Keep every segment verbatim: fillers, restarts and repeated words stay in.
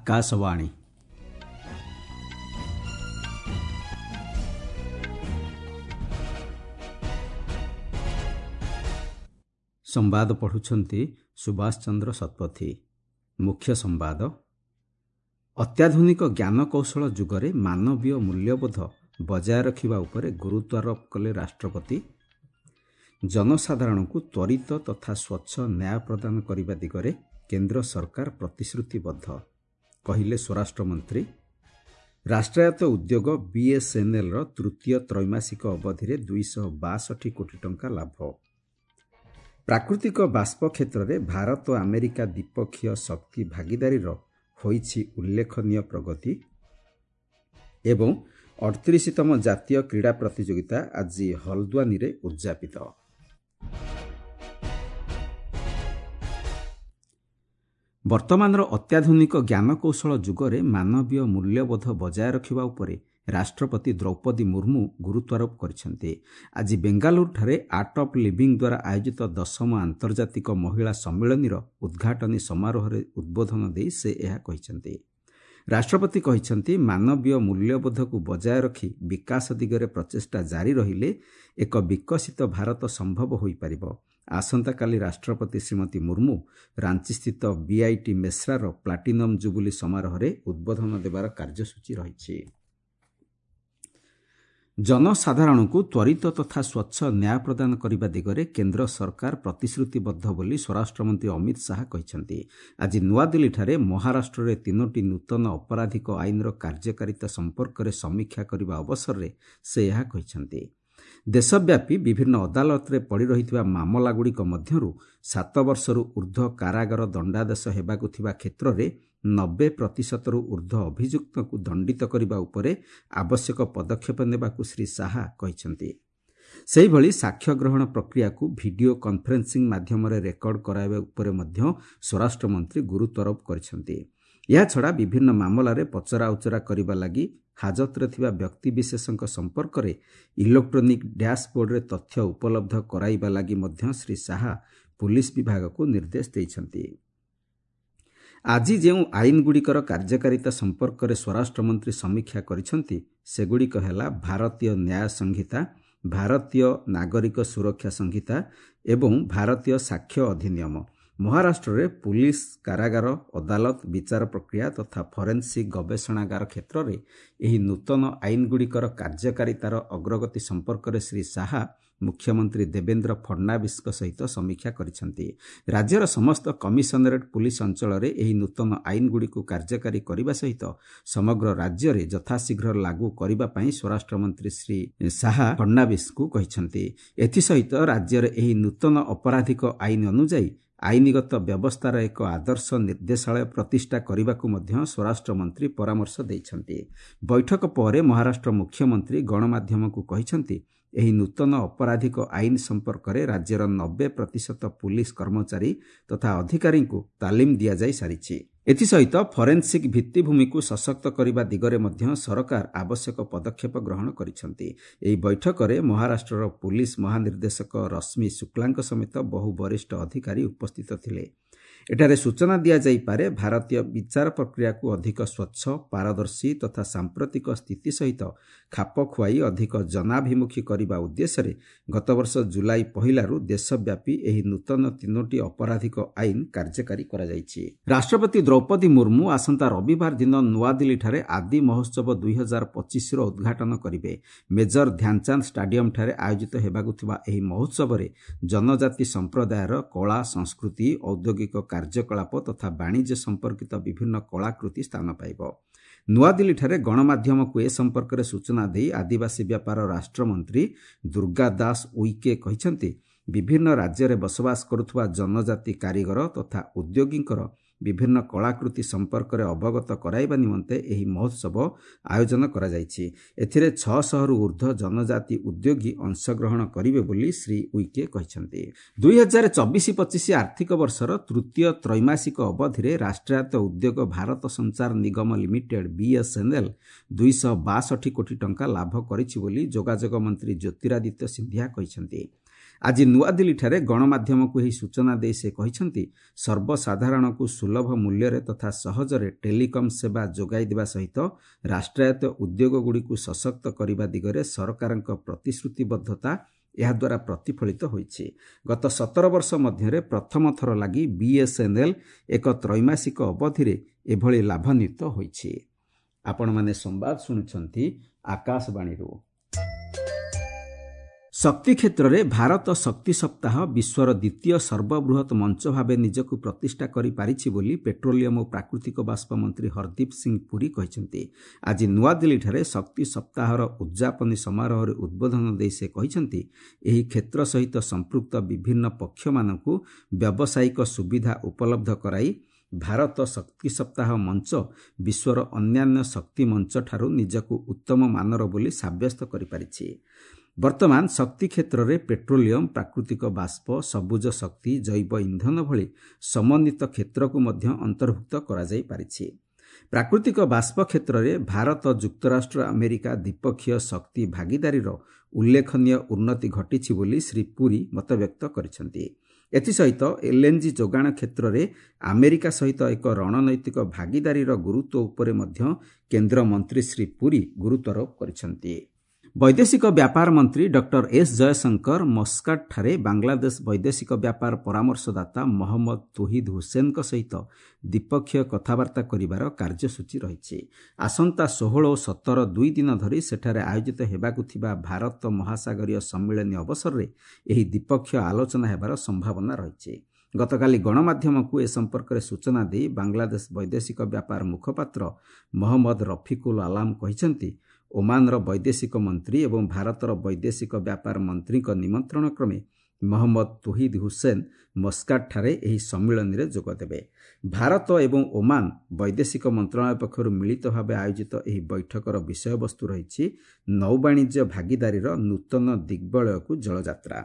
ଆକାଶବାଣୀ। ସମ୍ବାଦ ପଢ଼ୁଛନ୍ତି ସୁଭାଷ ଚନ୍ଦ୍ର ଶତପଥୀ। ମୁଖ୍ୟ ସମ୍ବାଦ। ଅତ୍ୟାଧୁନିକ ଜ୍ଞାନକୌଶଳ ଯୁଗରେ ମାନବୀୟ ମୂଲ୍ୟବୋଧ ବଜାୟ ରଖିବା ଉପରେ ଗୁରୁତ୍ୱାରୋପ କଲେ ରାଷ୍ଟ୍ରପତି। ଜନସାଧାରଣଙ୍କୁ ତ୍ୱରିତ ତଥା ସ୍ୱଚ୍ଛ ନ୍ୟାୟ ପ୍ରଦାନ କରିବା ଦିଗରେ କେନ୍ଦ୍ର ସରକାର ପ୍ରତିଶ୍ରୁତିବଦ୍ଧ, କହିଲେ ସ୍ୱରାଷ୍ଟ୍ରମନ୍ତ୍ରୀ। ରାଷ୍ଟ୍ରାୟତ୍ତ ଉଦ୍ୟୋଗ ବିଏସ୍ଏନ୍ଏଲ୍ର ତୃତୀୟ ତ୍ରୈମାସିକ ଅବଧିରେ ଦୁଇଶହ ବାଷଠି କୋଟି ଟଙ୍କା ଲାଭ। ପ୍ରାକୃତିକ ବାଷ୍ପ କ୍ଷେତ୍ରରେ ଭାରତ ଆମେରିକା ଦ୍ୱିପକ୍ଷୀୟ ଶକ୍ତି ଭାଗିଦାରୀର ହୋଇଛି ଉଲ୍ଲେଖନୀୟ ପ୍ରଗତି। ଏବଂ ଅଠତିରିଶତମ ଜାତୀୟ କ୍ରୀଡ଼ା ପ୍ରତିଯୋଗିତା ଆଜି ହଲ୍ଦ୍ୱାନୀରେ ଉଦ୍ଯାପିତ। ବର୍ତ୍ତମାନର ଅତ୍ୟାଧୁନିକ ଜ୍ଞାନକୌଶଳ ଯୁଗରେ ମାନବୀୟ ମୂଲ୍ୟବୋଧ ବଜାୟ ରଖିବା ଉପରେ ରାଷ୍ଟ୍ରପତି ଦ୍ରୌପଦୀ ମୁର୍ମୁ ଗୁରୁତ୍ୱାରୋପ କରିଛନ୍ତି। ଆଜି ବେଙ୍ଗାଲୁରୁଠାରେ ଆର୍ଟ ଅଫ୍ ଲିଭିଂ ଦ୍ୱାରା ଆୟୋଜିତ ଦଶମ ଆନ୍ତର୍ଜାତିକ ମହିଳା ସମ୍ମିଳନୀର ଉଦ୍ଘାଟନୀ ସମାରୋହରେ ଉଦ୍ବୋଧନ ଦେଇ ସେ ଏହା କହିଛନ୍ତି। ରାଷ୍ଟ୍ରପତି କହିଛନ୍ତି, ମାନବୀୟ ମୂଲ୍ୟବୋଧକୁ ବଜାୟ ରଖି ବିକାଶ ଦିଗରେ ପ୍ରଚେଷ୍ଟା ଜାରି ରହିଲେ ଏକ ବିକଶିତ ଭାରତ ସମ୍ଭବ ହୋଇପାରିବ। ଆସନ୍ତାକାଲି ରାଷ୍ଟ୍ରପତି Shrimati Murmu ରାଞ୍ଚିସ୍ଥିତ BIT ମେସ୍ରାର platinum jubilee ସମାରୋହରେ ଉଦ୍ବୋଧନ ଦେବାର କାର୍ଯ୍ୟସୂଚୀ ରହିଛି। ଜନସାଧାରଣଙ୍କୁ ତ୍ୱରିତ ତଥା ସ୍ୱଚ୍ଛ ନ୍ୟାୟ ପ୍ରଦାନ କରିବା ଦିଗରେ କେନ୍ଦ୍ର ସରକାର ପ୍ରତିଶ୍ରୁତିବଦ୍ଧ ବୋଲି ସ୍ୱରାଷ୍ଟ୍ରମନ୍ତ୍ରୀ ଅମିତ ଶାହା କହିଛନ୍ତି। ଆଜି ନୂଆଦିଲ୍ଲୀଠାରେ ମହାରାଷ୍ଟ୍ରରେ ତିନୋଟି ନୂତନ ଅପରାଧିକ ଆଇନର କାର୍ଯ୍ୟକାରିତା ସମ୍ପର୍କରେ ସମୀକ୍ଷା କରିବା ଅବସରରେ ସେ ଏହା କହିଛନ୍ତି। ଦେଶବ୍ୟାପୀ ବିଭିନ୍ନ ଅଦାଲତରେ ପଡ଼ି ରହିଥିବା ମାମଲାଗୁଡ଼ିକ ମଧ୍ୟରୁ ସାତ ବର୍ଷରୁ ଊର୍ଦ୍ଧ୍ୱ କାରାଗାର ଦଣ୍ଡାଦେଶ ହେବାକୁ ଥିବା କ୍ଷେତ୍ରରେ ନବେ ପ୍ରତିଶତରୁ ଊର୍ଦ୍ଧ୍ୱ ଅଭିଯୁକ୍ତଙ୍କୁ ଦଣ୍ଡିତ କରିବା ଉପରେ ଆବଶ୍ୟକ ପଦକ୍ଷେପ ନେବାକୁ ଶ୍ରୀ ଶାହା କହିଛନ୍ତି। ସେହିଭଳି ସାକ୍ଷ୍ୟ ଗ୍ରହଣ ପ୍ରକ୍ରିୟାକୁ ଭିଡିଓ କନ୍ଫରେନ୍ସିଂ ମାଧ୍ୟମରେ ରେକର୍ଡ କରାଇବା ଉପରେ ମଧ୍ୟ ସ୍ୱରାଷ୍ଟ୍ରମନ୍ତ୍ରୀ ଗୁରୁତ୍ୱାରୋପ କରିଛନ୍ତି। ଏହାଛଡ଼ା ବିଭିନ୍ନ ମାମଲାରେ ପଚରାଉଚରା କରିବା ଲାଗି ହାଜତରେ ଥିବା ବ୍ୟକ୍ତିବିଶେଷଙ୍କ ସମ୍ପର୍କରେ ଇଲେକ୍ଟ୍ରୋନିକ୍ ଡ୍ୟାସ୍ବୋର୍ଡରେ ତଥ୍ୟ ଉପଲବ୍ଧ କରାଇବା ଲାଗି ମଧ୍ୟ ଶ୍ରୀ ଶାହା ପୁଲିସ୍ ବିଭାଗକୁ ନିର୍ଦ୍ଦେଶ ଦେଇଛନ୍ତି। ଆଜି ଯେଉଁ ଆଇନଗୁଡ଼ିକର କାର୍ଯ୍ୟକାରିତା ସମ୍ପର୍କରେ ସ୍ୱରାଷ୍ଟ୍ରମନ୍ତ୍ରୀ ସମୀକ୍ଷା କରିଛନ୍ତି, ସେଗୁଡ଼ିକ ହେଲା ଭାରତୀୟ ନ୍ୟାୟ ସଂହିତା, ଭାରତୀୟ ନାଗରିକ ସୁରକ୍ଷା ସଂହିତା ଏବଂ ଭାରତୀୟ ସାକ୍ଷ୍ୟ ଅଧିନିୟମ। ମହାରାଷ୍ଟ୍ରରେ ପୁଲିସ୍, କାରାଗାର, ଅଦାଲତ, ବିଚାର ପ୍ରକ୍ରିୟା ତଥା ଫରେନ୍ସିକ୍ ଗବେଷଣାଗାର କ୍ଷେତ୍ରରେ ଏହି ନୂତନ ଆଇନଗୁଡ଼ିକର କାର୍ଯ୍ୟକାରିତାର ଅଗ୍ରଗତି ସମ୍ପର୍କରେ ଶ୍ରୀ ଶାହା ମୁଖ୍ୟମନ୍ତ୍ରୀ ଦେବେନ୍ଦ୍ର ଫଡନାଭିସଙ୍କ ସହିତ ସମୀକ୍ଷା କରିଛନ୍ତି। ରାଜ୍ୟର ସମସ୍ତ କମିଶନରେଟ୍ ପୁଲିସ୍ ଅଞ୍ଚଳରେ ଏହି ନୂତନ ଆଇନଗୁଡ଼ିକୁ କାର୍ଯ୍ୟକାରୀ କରିବା ସହିତ ସମଗ୍ର ରାଜ୍ୟରେ ଯଥାଶୀଘ୍ର ଲାଗୁ କରିବା ପାଇଁ ସ୍ୱରାଷ୍ଟ୍ରମନ୍ତ୍ରୀ ଶ୍ରୀ ଶାହା ଫଡନାଭିସଙ୍କୁ କହିଛନ୍ତି। ଏଥିସହିତ ରାଜ୍ୟରେ ଏହି ନୂତନ ଅପରାଧିକ ଆଇନ ଅନୁଯାୟୀ ଆଇନଗତ ବ୍ୟବସ୍ଥାର ଏକ ଆଦର୍ଶ ନିର୍ଦ୍ଦେଶାଳୟ ପ୍ରତିଷ୍ଠା କରିବାକୁ ମଧ୍ୟ ସ୍ୱରାଷ୍ଟ୍ରମନ୍ତ୍ରୀ ପରାମର୍ଶ ଦେଇଛନ୍ତି। ବୈଠକ ପରେ ମହାରାଷ୍ଟ୍ର ମୁଖ୍ୟମନ୍ତ୍ରୀ ଗଣମାଧ୍ୟମକୁ କହିଛନ୍ତି, ଏହି ନୂତନ ଅପରାଧିକ ଆଇନ ସମ୍ପର୍କରେ ରାଜ୍ୟର ନବେ ପ୍ରତିଶତ ପୁଲିସ୍ କର୍ମଚାରୀ ତଥା ଅଧିକାରୀଙ୍କୁ ତାଲିମ ଦିଆଯାଇ ସାରିଛି। ଏଥିସହିତ ଫରେନ୍ସିକ୍ ଭିତ୍ତିଭୂମିକୁ ସଶକ୍ତ କରିବା ଦିଗରେ ମଧ୍ୟ ସରକାର ଆବଶ୍ୟକ ପଦକ୍ଷେପ ଗ୍ରହଣ କରିଛନ୍ତି। ଏହି ବୈଠକରେ ମହାରାଷ୍ଟ୍ରର ପୁଲିସ୍ ମହାନିର୍ଦ୍ଦେଶକ ରଶ୍ମି ଶୁକ୍ଲାଙ୍କ ସମେତ ବହୁ ବରିଷ୍ଠ ଅଧିକାରୀ ଉପସ୍ଥିତ ଥିଲେ। ଏଠାରେ ସୂଚନା ଦିଆଯାଇପାରେ, ଭାରତୀୟ ବିଚାର ପ୍ରକ୍ରିୟାକୁ ଅଧିକ ସ୍ୱଚ୍ଛ, ପାରଦର୍ଶୀ ତଥା ସାମ୍ପ୍ରତିକ ସ୍ଥିତି ସହିତ ଖାପ ଖୁଆଇ ଅଧିକ ଜନାଭିମୁଖୀ କରିବା ଉଦ୍ଦେଶ୍ୟରେ ଗତବର୍ଷ ଜୁଲାଇ ପହିଲାରୁ ଦେଶବ୍ୟାପୀ ଏହି ନୂତନ ତିନୋଟି ଅପରାଧିକ ଆଇନ କାର୍ଯ୍ୟକାରୀ କରାଯାଇଛି। ରାଷ୍ଟ୍ରପତି ଦ୍ରୌପଦୀ ମୁର୍ମୁ ଆସନ୍ତା ରବିବାର ଦିନ ନୂଆଦିଲ୍ଲୀଠାରେ ଆଦି ମହୋତ୍ସବ ଦୁଇ ହଜାର ପଚିଶର ଉଦ୍ଘାଟନ କରିବେ। ମେଜର ଧ୍ୟାନଚାନ୍ଦ ଷ୍ଟାଡିୟମଠାରେ ଆୟୋଜିତ ହେବାକୁ ଥିବା ଏହି ମହୋତ୍ସବରେ ଜନଜାତି ସମ୍ପ୍ରଦାୟର କଳା, ସଂସ୍କୃତି, ଔଦ୍ୟୋଗିକ କାର୍ଯ୍ୟକଳାପ ତଥା ବାଣିଜ୍ୟ ସମ୍ପର୍କିତ ବିଭିନ୍ନ କଳାକୃତି ସ୍ଥାନ ପାଇବ। ନୂଆଦିଲ୍ଲୀଠାରେ ଗଣମାଧ୍ୟମକୁ ଏ ସମ୍ପର୍କରେ ସୂଚନା ଦେଇ ଆଦିବାସୀ ବ୍ୟାପାର ରାଷ୍ଟ୍ରମନ୍ତ୍ରୀ ଦୁର୍ଗା ଦାସ ଉଇକେ କହିଛନ୍ତି, ବିଭିନ୍ନ ରାଜ୍ୟରେ ବସବାସ କରୁଥିବା ଜନଜାତି କାରିଗର ତଥା ଉଦ୍ୟୋଗୀଙ୍କର ବିଭିନ୍ନ କଳାକୃତି ସମ୍ପର୍କରେ ଅବଗତ କରାଇବା ନିମନ୍ତେ ଏହି ମହୋତ୍ସବ ଆୟୋଜନ କରାଯାଇଛି। ଏଥିରେ ଛଅଶହରୁ ଉର୍ଦ୍ଧ୍ୱ ଜନଜାତି ଉଦ୍ୟୋଗୀ ଅଂଶଗ୍ରହଣ କରିବେ ବୋଲି ଶ୍ରୀ ଉଇକେ କହିଛନ୍ତି। ଦୁଇ ହଜାର ଚବିଶ ପଚିଶ ଆର୍ଥିକ ବର୍ଷର ତୃତୀୟ ତ୍ରୈମାସିକ ଅବଧିରେ ରାଷ୍ଟ୍ରାୟତ୍ତ ଉଦ୍ୟୋଗ ଭାରତ ସଞ୍ଚାର ନିଗମ ଲିମିଟେଡ୍ ବିଏସ୍ଏନ୍ଏଲ୍ ଦୁଇଶହ ବାଷଠି କୋଟି ଟଙ୍କା ଲାଭ କରିଛି ବୋଲି ଯୋଗାଯୋଗ ମନ୍ତ୍ରୀ ଜ୍ୟୋତିରାଦିତ୍ୟ ସିନ୍ଧିଆ କହିଛନ୍ତି। ଆଜି ନୂଆଦିଲ୍ଲୀଠାରେ ଗଣମାଧ୍ୟମକୁ ଏହି ସୂଚନା ଦେଇ ସେ କହିଛନ୍ତି, ସର୍ବସାଧାରଣଙ୍କୁ ସୁଲଭ ମୂଲ୍ୟରେ ତଥା ସହଜରେ ଟେଲିକମ୍ ସେବା ଯୋଗାଇ ଦେବା ସହିତ ରାଷ୍ଟ୍ରାୟତ୍ତ ଉଦ୍ୟୋଗଗୁଡ଼ିକୁ ସଶକ୍ତ କରିବା ଦିଗରେ ସରକାରଙ୍କ ପ୍ରତିଶ୍ରୁତିବଦ୍ଧତା ଏହାଦ୍ୱାରା ପ୍ରତିଫଳିତ ହୋଇଛି। ଗତ ସତର ବର୍ଷ ମଧ୍ୟରେ ପ୍ରଥମ ଥର ଲାଗି ବିଏସ୍ଏନ୍ଏଲ୍ ଏକ ତ୍ରୈମାସିକ ଅବଧିରେ ଏଭଳି ଲାଭାନ୍ୱିତ ହୋଇଛି। ଆପଣମାନେ ସମ୍ବାଦ ଶୁଣୁଛନ୍ତି ଆକାଶବାଣୀରୁ। ଶକ୍ତି କ୍ଷେତ୍ରରେ ଭାରତ ଶକ୍ତି ସପ୍ତାହ ବିଶ୍ୱର ଦ୍ୱିତୀୟ ସର୍ବବୃହତ୍ ମଞ୍ଚ ଭାବେ ନିଜକୁ ପ୍ରତିଷ୍ଠା କରିପାରିଛି ବୋଲି ପେଟ୍ରୋଲିୟମ ଓ ପ୍ରାକୃତିକ ବାଷ୍ପ ମନ୍ତ୍ରୀ ହରଦୀପ ସିଂ ପୁରୀ କହିଛନ୍ତି। ଆଜି ନୂଆଦିଲ୍ଲୀଠାରେ ଶକ୍ତି ସପ୍ତାହର ଉଦ୍ଯାପନୀ ସମାରୋହରେ ଉଦ୍ବୋଧନ ଦେଇ ସେ କହିଛନ୍ତି, ଏହି କ୍ଷେତ୍ର ସହିତ ସମ୍ପୃକ୍ତ ବିଭିନ୍ନ ପକ୍ଷମାନଙ୍କୁ ବ୍ୟାବସାୟିକ ସୁବିଧା ଉପଲବ୍ଧ କରାଇ ଭାରତ ଶକ୍ତି ସପ୍ତାହ ମଞ୍ଚ ବିଶ୍ୱର ଅନ୍ୟାନ୍ୟ ଶକ୍ତି ମଞ୍ଚଠାରୁ ନିଜକୁ ଉତ୍ତମ ମାନର ବୋଲି ସାବ୍ୟସ୍ତ କରିପାରିଛି। ବର୍ତ୍ତମାନ ଶକ୍ତି କ୍ଷେତ୍ରରେ ପେଟ୍ରୋଲିୟମ, ପ୍ରାକୃତିକ ବାଷ୍ପ, ସବୁଜ ଶକ୍ତି, ଜୈବ ଇନ୍ଧନ ଭଳି ସମନ୍ୱିତ କ୍ଷେତ୍ରକୁ ମଧ୍ୟ ଅନ୍ତର୍ଭୁକ୍ତ କରାଯାଇପାରିଛି। ପ୍ରାକୃତିକ ବାଷ୍ପ କ୍ଷେତ୍ରରେ ଭାରତ ଯୁକ୍ତରାଷ୍ଟ୍ର ଆମେରିକା ଦ୍ୱିପକ୍ଷୀୟ ଶକ୍ତି ଭାଗିଦାରୀର ଉଲ୍ଲେଖନୀୟ ଉନ୍ନତି ଘଟିଛି ବୋଲି ଶ୍ରୀ ପୁରୀ ମତବ୍ୟକ୍ତ କରିଛନ୍ତି। ଏଥିସହିତ ଏଲ୍ଏନ୍ଜି ଯୋଗାଣ କ୍ଷେତ୍ରରେ ଆମେରିକା ସହିତ ଏକ ରଣନୈତିକ ଭାଗିଦାରୀର ଗୁରୁତ୍ୱ ଉପରେ ମଧ୍ୟ କେନ୍ଦ୍ରମନ୍ତ୍ରୀ ଶ୍ରୀ ପୁରୀ ଗୁରୁତ୍ୱାରୋପ କରିଛନ୍ତି। ବୈଦେଶିକ ବ୍ୟାପାର ମନ୍ତ୍ରୀ ଡକ୍ଟର ଏସ୍ ଜୟଶଙ୍କର ମସ୍କାଟଠାରେ ବାଂଲାଦେଶ ବୈଦେଶିକ ବ୍ୟାପାର ପରାମର୍ଶଦାତା ମହମ୍ମଦ ତୋହିଦ ହୁସେନଙ୍କ ସହିତ ଦ୍ୱିପକ୍ଷୀୟ କଥାବାର୍ତ୍ତା କରିବାର କାର୍ଯ୍ୟସୂଚୀ ରହିଛି। ଆସନ୍ତା ଷୋହଳ ଓ ସତର ଦୁଇ ଦିନ ଧରି ସେଠାରେ ଆୟୋଜିତ ହେବାକୁ ଥିବା ଭାରତ ମହାସାଗରୀୟ ସମ୍ମିଳନୀ ଅବସରରେ ଏହି ଦ୍ୱିପକ୍ଷୀୟ ଆଲୋଚନା ହେବାର ସମ୍ଭାବନା ରହିଛି। ଗତକାଲି ଗଣମାଧ୍ୟମକୁ ଏ ସମ୍ପର୍କରେ ସୂଚନା ଦେଇ ବାଂଲାଦେଶ ବୈଦେଶିକ ବ୍ୟାପାର ମୁଖପାତ୍ର ମହମ୍ମଦ ରଫିକୁଲ ଆଲାମ କହିଛନ୍ତି, ଓମାନର ବୈଦେଶିକ ମନ୍ତ୍ରୀ ଏବଂ ଭାରତର ବୈଦେଶିକ ବ୍ୟାପାର ମନ୍ତ୍ରୀଙ୍କ ନିମନ୍ତ୍ରଣ କ୍ରମେ ମହମ୍ମଦ ତୋହିଦ ହୁସେନ ମସ୍କାଟଠାରେ ଏହି ସମ୍ମିଳନୀରେ ଯୋଗଦେବେ। ଭାରତ ଏବଂ ଓମାନ ବୈଦେଶିକ ମନ୍ତ୍ରଣାଳୟ ପକ୍ଷରୁ ମିଳିତ ଭାବେ ଆୟୋଜିତ ଏହି ବୈଠକର ବିଷୟବସ୍ତୁ ରହିଛି ନୌବାଣିଜ୍ୟ ଭାଗିଦାରୀର ନୂତନ ଦିଗ୍ବଳୟକୁ ଜଳଯାତ୍ରା।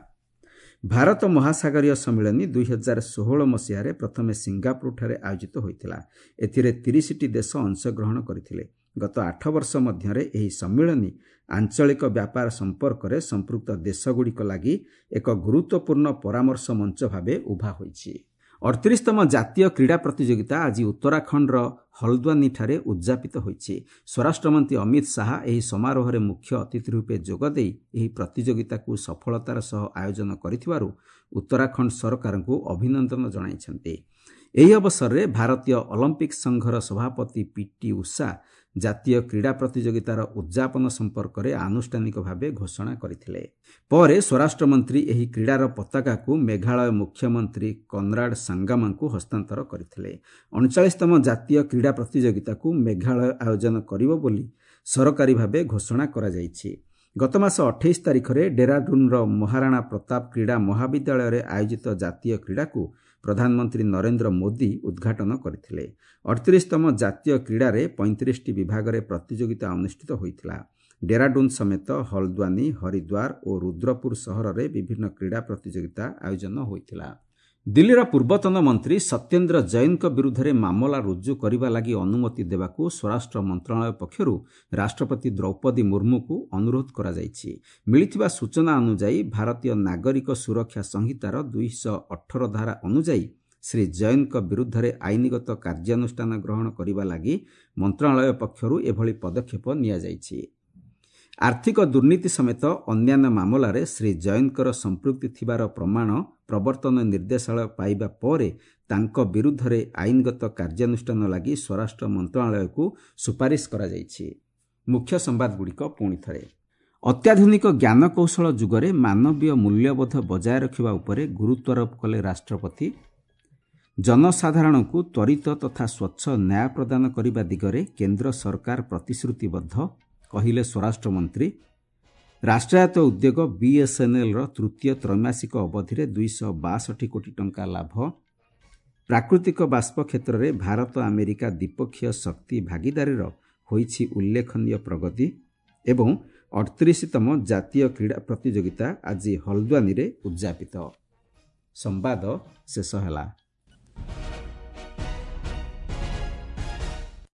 ଭାରତ ମହାସାଗରୀୟ ସମ୍ମିଳନୀ ଦୁଇ ହଜାର ଷୋହଳ ମସିହାରେ ପ୍ରଥମେ ସିଙ୍ଗାପୁରଠାରେ ଆୟୋଜିତ ହୋଇଥିଲା। ଏଥିରେ ତିରିଶଟି ଦେଶ ଅଂଶଗ୍ରହଣ କରିଥିଲେ। ଗତ ଆଠ ବର୍ଷ ମଧ୍ୟରେ ଏହି ସମ୍ମିଳନୀ ଆଞ୍ଚଳିକ ବ୍ୟାପାର ସମ୍ପର୍କରେ ସମ୍ପୃକ୍ତ ଦେଶଗୁଡ଼ିକ ଲାଗି ଏକ ଗୁରୁତ୍ୱପୂର୍ଣ୍ଣ ପରାମର୍ଶ ମଞ୍ଚ ଭାବେ ଉଭା ହୋଇଛି। ଅଠତିରିଶତମ ଜାତୀୟ କ୍ରୀଡ଼ା ପ୍ରତିଯୋଗିତା ଆଜି ଉତ୍ତରାଖଣ୍ଡର ହଲଦ୍ୱାନୀଠାରେ ଉଦ୍ଯାପିତ ହୋଇଛି। ସ୍ୱରାଷ୍ଟ୍ରମନ୍ତ୍ରୀ ଅମିତ ଶାହା ଏହି ସମାରୋହରେ ମୁଖ୍ୟ ଅତିଥି ରୂପେ ଯୋଗଦେଇ ଏହି ପ୍ରତିଯୋଗିତାକୁ ସଫଳତାର ସହ ଆୟୋଜନ କରିଥିବାରୁ ଉତ୍ତରାଖଣ୍ଡ ସରକାରଙ୍କୁ ଅଭିନନ୍ଦନ ଜଣାଇଛନ୍ତି। ଏହି ଅବସରରେ ଭାରତୀୟ ଅଲିମ୍ପିକ୍ ସଂଘର ସଭାପତି ପିଟି ଉଷା ଜାତୀୟ କ୍ରୀଡ଼ା ପ୍ରତିଯୋଗିତାର ଉଦ୍ଯାପନ ସମ୍ପର୍କରେ ଆନୁଷ୍ଠାନିକ ଭାବେ ଘୋଷଣା କରିଥିଲେ। ପରେ ସ୍ୱରାଷ୍ଟ୍ରମନ୍ତ୍ରୀ ଏହି କ୍ରୀଡ଼ାର ପତାକାକୁ ମେଘାଳୟ ମୁଖ୍ୟମନ୍ତ୍ରୀ କନରାଡ ସାଙ୍ଗାମାଙ୍କୁ ହସ୍ତାନ୍ତର କରିଥିଲେ। ଅଣଚାଳିଶତମ ଜାତୀୟ କ୍ରୀଡ଼ା ପ୍ରତିଯୋଗିତାକୁ ମେଘାଳୟ ଆୟୋଜନ କରିବ ବୋଲି ସରକାରୀ ଭାବେ ଘୋଷଣା କରାଯାଇଛି। ଗତମାସ ଅଠେଇଶ ତାରିଖରେ ଡେରାଡୁନ୍ର ମହାରାଣା ପ୍ରତାପ କ୍ରୀଡ଼ା ମହାବିଦ୍ୟାଳୟରେ ଆୟୋଜିତ ଜାତୀୟ କ୍ରୀଡ଼ାକୁ ପ୍ରଧାନମନ୍ତ୍ରୀ ନରେନ୍ଦ୍ର ମୋଦି ଉଦ୍ଘାଟନ କରିଥିଲେ। ଅଠତିରିଶତମ ଜାତୀୟ କ୍ରୀଡ଼ାରେ ପଇଁତିରିଶଟି ବିଭାଗରେ ପ୍ରତିଯୋଗିତା ଅନୁଷ୍ଠିତ ହୋଇଥିଲା। ଡେରାଡୁନ୍ ସମେତ ହଲଦ୍ୱାନୀ, ହରିଦ୍ୱାର ଓ ରୁଦ୍ରପୁର ସହରରେ ବିଭିନ୍ନ କ୍ରୀଡ଼ା ପ୍ରତିଯୋଗିତା ଆୟୋଜନ ହୋଇଥିଲା। ଦିଲ୍ଲୀର ପୂର୍ବତନ ମନ୍ତ୍ରୀ ସତ୍ୟେନ୍ଦ୍ର ଜୈନଙ୍କ ବିରୁଦ୍ଧରେ ମାମଲା ରୁଜୁ କରିବା ଲାଗି ଅନୁମତି ଦେବାକୁ ସ୍ୱରାଷ୍ଟ୍ର ମନ୍ତ୍ରଣାଳୟ ପକ୍ଷରୁ ରାଷ୍ଟ୍ରପତି ଦ୍ରୌପଦୀ ମୁର୍ମୁଙ୍କୁ ଅନୁରୋଧ କରାଯାଇଛି। ମିଳିଥିବା ସୂଚନା ଅନୁଯାୟୀ ଭାରତୀୟ ନାଗରିକ ସୁରକ୍ଷା ସଂହିତାର ଦୁଇଶହ ଅଠର ଧାରା ଅନୁଯାୟୀ ଶ୍ରୀ ଜୈନଙ୍କ ବିରୁଦ୍ଧରେ ଆଇନଗତ କାର୍ଯ୍ୟାନୁଷ୍ଠାନ ଗ୍ରହଣ କରିବା ଲାଗି ମନ୍ତ୍ରଣାଳୟ ପକ୍ଷରୁ ଏଭଳି ପଦକ୍ଷେପ ନିଆଯାଇଛି। ଆର୍ଥିକ ଦୁର୍ନୀତି ସମେତ ଅନ୍ୟାନ୍ୟ ମାମଲାରେ ଶ୍ରୀ ଜୈନଙ୍କର ସମ୍ପୃକ୍ତି ଥିବାର ପ୍ରମାଣ ପ୍ରବର୍ତ୍ତନ ନିର୍ଦ୍ଦେଶାଳୟ ପାଇବା ପରେ ତାଙ୍କ ବିରୁଦ୍ଧରେ ଆଇନଗତ କାର୍ଯ୍ୟାନୁଷ୍ଠାନ ଲାଗି ସ୍ୱରାଷ୍ଟ୍ର ମନ୍ତ୍ରଣାଳୟକୁ ସୁପାରିଶ କରାଯାଇଛି। ମୁଖ୍ୟ ସମ୍ବାଦଗୁଡ଼ିକ ପୁଣି ଥରେ। ଅତ୍ୟାଧୁନିକ ଜ୍ଞାନକୌଶଳ ଯୁଗରେ ମାନବୀୟ ମୂଲ୍ୟବୋଧ ବଜାୟ ରଖିବା ଉପରେ ଗୁରୁତ୍ୱାରୋପ କଲେ ରାଷ୍ଟ୍ରପତି। ଜନସାଧାରଣଙ୍କୁ ତ୍ୱରିତ ତଥା ସ୍ୱଚ୍ଛ ନ୍ୟାୟ ପ୍ରଦାନ କରିବା ଦିଗରେ କେନ୍ଦ୍ର ସରକାର ପ୍ରତିଶ୍ରୁତିବଦ୍ଧ, କହିଲେ ସ୍ୱରାଷ୍ଟ୍ରମନ୍ତ୍ରୀ। ରାଷ୍ଟ୍ରାୟତ୍ତ ଉଦ୍ୟୋଗ ବିଏସ୍ଏନ୍ଏଲ୍ର ତୃତୀୟ ତ୍ରୈମାସିକ ଅବଧିରେ ଦୁଇଶହ ବାଷଠି କୋଟି ଟଙ୍କା ଲାଭ। ପ୍ରାକୃତିକ ବାଷ୍ପ କ୍ଷେତ୍ରରେ ଭାରତ ଆମେରିକା ଦ୍ୱିପକ୍ଷୀୟ ଶକ୍ତି ଭାଗିଦାରୀର ହୋଇଛି ଉଲ୍ଲେଖନୀୟ ପ୍ରଗତି। ଏବଂ ଅଠତିରିଶତମ ଜାତୀୟ କ୍ରୀଡ଼ା ପ୍ରତିଯୋଗିତା ଆଜି ହଲଦ୍ୱାନୀରେ ଉଦ୍ଯାପିତ। ସମ୍ବାଦ ଶେଷ ହେଲା।